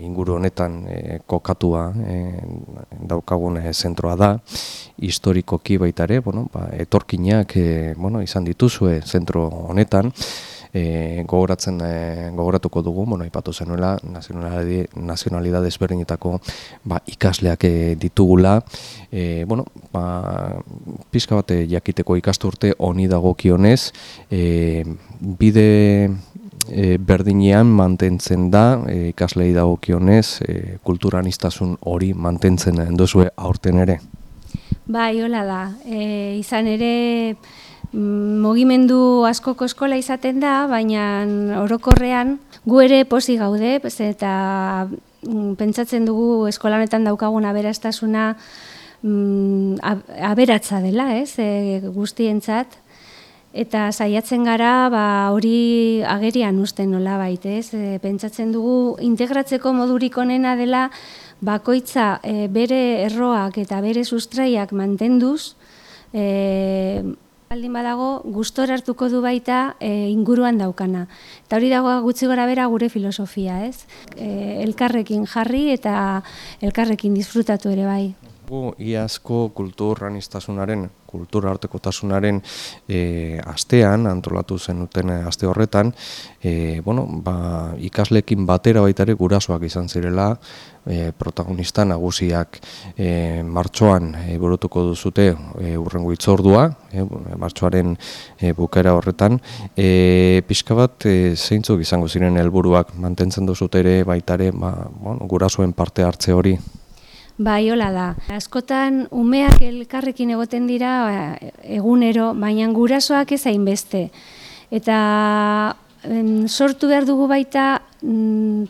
inguru honetan kokatua daukagun zentroa da, historikoki baita ere, etorkinak izan dituzue zentro honetan, gogoratuko dugu, aipatu zenuela, nazionalidade ezberdinetako ikasleak ditugula, pixka bat jakiteko ikasturte honi dagokionez, bide berdinean mantentzen da, ikaslei dagokionez, kulturaniztasun hori mantentzen duzue aurten ere? Bai, hola da. Izan ere, mugimendu askoko eskola izaten da, baina orokorrean gu ere pozik gaude, eta pentsatzen dugu eskolanetan daukagun aberastasuna aberatsa dela, guztientzat. Eta saiatzen gara hori agerian uzten nolabait, pentsatzen dugu integratzeko modurik onena dela bakoitza bere erroak eta bere sustraiak mantenduz, baldin badago gustora hartuko du baita inguruan daukana. Eta hori dago gutxi gorabehera gure filosofia, elkarrekin jarri eta elkarrekin disfrutatu ere bai. Iazko kulturartekotasunaren astean, antolatu zenuten aste horretan, ikasleekin batera baita ere gurasoak izan zirela, protagonista nagusiak martxoan burutuko duzute hurrengo hitzordua, martxoaren bukaera horretan. Pixka bat zeintzuk izango ziren helburuak mantentzen duzute ere baita ere gurasoen parte hartze hori? Bai, hola da. Askotan umeak elkarrekin egoten dira egunero, baina gurasoak ez hainbeste. Eta sortu behar dugu baita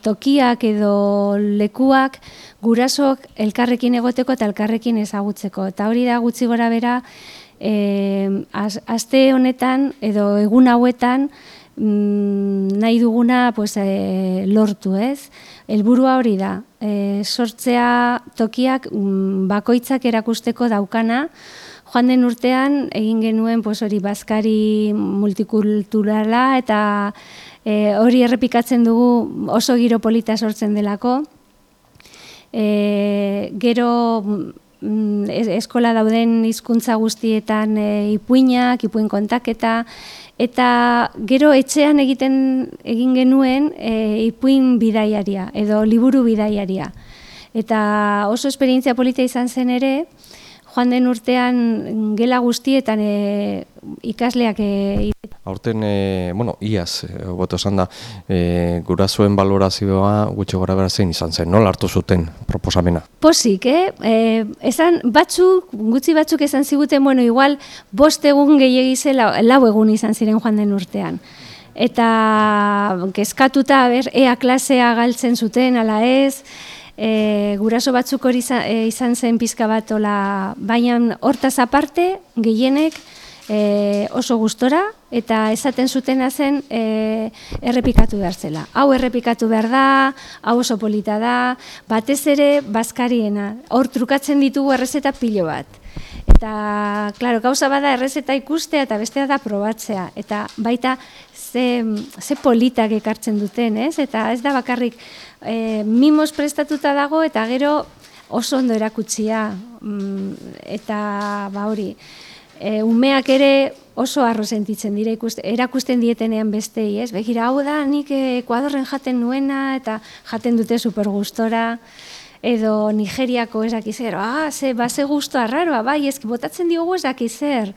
tokiak edo lekuak gurasoak elkarrekin egoteko eta elkarrekin ezagutzeko. Eta hori da gutxi gorabehera aste honetan edo egun hauetan nahi duguna lortu, ez? Helburua hori da, sortzea tokiak bakoitzak erakusteko daukana. Joan den urtean egin genuen hori bazkari multikulturala eta hori errepikatzen dugu oso giro polita sortzen delako. Gero eskola dauden hizkuntza guztietan ipuinak, ipuin kontaketa, eta gero etxean egin genuen ipuin bidaiaria edo liburu bidaiaria. Eta oso esperientzia polita izan zen ere, joan den urtean gela guztietan ikasleak aurten, iaz, hobeto esan da, gurasoen balorazioa gutxi gorabehera zein izan zen, nola hartu zuten proposamena? Pozik, esan gutxi batzuk esan ziguten, igual 5 egun gehiegi zela, 4 egun izan ziren joan den urtean. Eta kezkatuta, ea klasea galtzen zuten, ala ez, guraso batzuk hori izan zen pizka bat, baina hortaz aparte, gehienek oso gustora, eta esaten zutena zen errepikatu behar zela. Hau errepikatu behar da, hau oso polita da, batez ere bazkariena. Hor trukatzen ditugu errezeta pilo bat. Eta, klaro, gauza bada errezeta ikustea eta bestea da probatzea. Eta baita ze politak ekartzen duten, ez? Eta ez da bakarrik mimos prestatuta dago eta gero oso ondo erakutsia. Eta hori, umeak ere oso harro sentitzen dira erakusten dietenean bestei, ez? Begira, hau da, nik Ekuadorren jaten nuena eta jaten dute super gustora, edo Nigeriako ez dakiz zer, ze gustoa arraroa, bai, ezki botatzen diogu ez dakiz zer.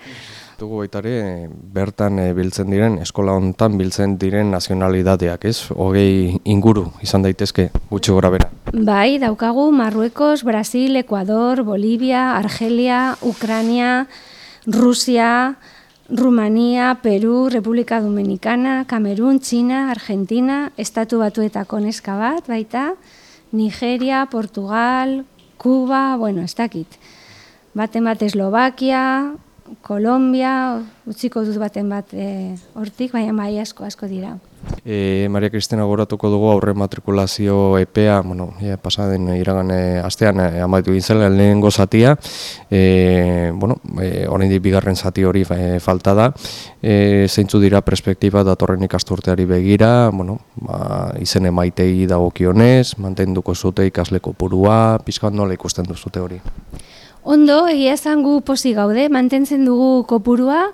Dugu baita ere, bertan biltzen diren, eskola honetan biltzen diren nazionalidadeak, ez? 20 inguru izan daitezke gutxi gorabehera. Bai, daukagu Marruekos, Brasil, Ekuador, Bolivia, Argelia, Ukraina, Rusia, Rumania, Peru, Republika Dominicana, Kamerun, Txina, Argentina, Estatu Batuetako neska bat, baita, Nigeria, Portugal, Kuba, ez dakit. Baten bat Eslovakia, Kolombia, utziko dut baten bat hortik, baina bai asko dira. Maria Kristina goratuko dugu aurre matrikulazio epea, pasaden iragan astean amaitu egin zela lehenengo zatia, oraindik bigarren zati hori falta da, zeintzu dira perspektiba datorren ikasturteari begira, izen emaitei dagokionez, mantenduko zute ikasle kopurua, pixkat nola ikusten duzute hori? Ondo, egia esan gu pozik gaude, mantentzen dugu kopurua,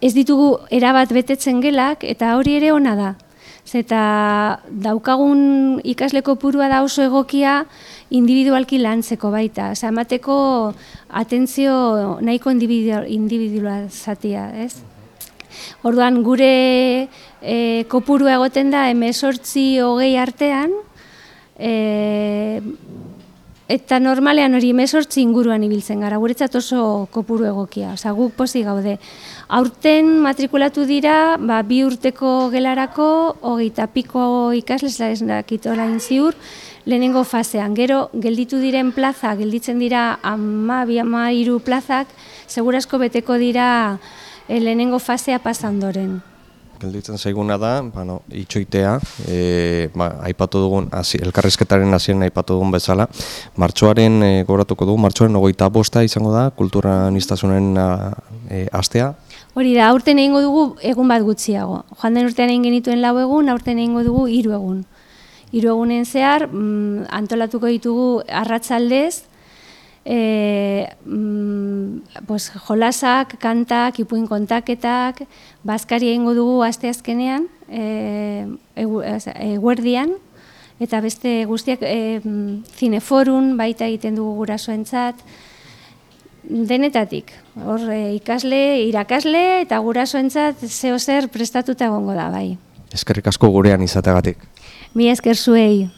ez ditugu erabat betetzen gelak, eta hori ere ona da. Zeta daukagun ikasle kopurua da oso egokia individualki lantzeko baita. Emateko atentzio nahiko individualizatia, ez? Orduan, gure kopurua egoten da 18-20 artean, eta normalean hori 18 inguruan ibiltzen gara, guretzat oso kopuru egokia, guk pozik gaude. Aurten matrikulatu dira, 2 urteko gelarako, 20 piko ikasles, ez dakit orain ziur, lehenengo fasean. Gero, gelditu diren plaza, gelditzen dira 12-13 plazak, segurasko beteko dira lehenengo fasea pasandoren. Gelditzen zaiguna da, itxoitea, aipatu dugun, elkarrizketaren hasieran aipatu dugun bezala, martxoaren gogoratuko dugu, martxoaren 25 izango da, kultura aniztasunen astea. Hori da, aurten egingo dugu egun bat gutxiago. Joan den urtean egin genituen 4 egun, aurten egingo dugu 3 egun. 3 egunen zehar, antolatuko ditugu arratsaldez, jolasak, kantak, ipuin kontaketak, bazkari egingo dugu asteazkenean, eguerdian, eta beste guztiak zineforun baita egiten dugu gurasoentzat, denetatik. Hor ikasle, irakasle eta gurasoentzat zeo zer prestatuta egongo da, bai. Eskerrik asko gurean izateagatik. Mila esker zuei.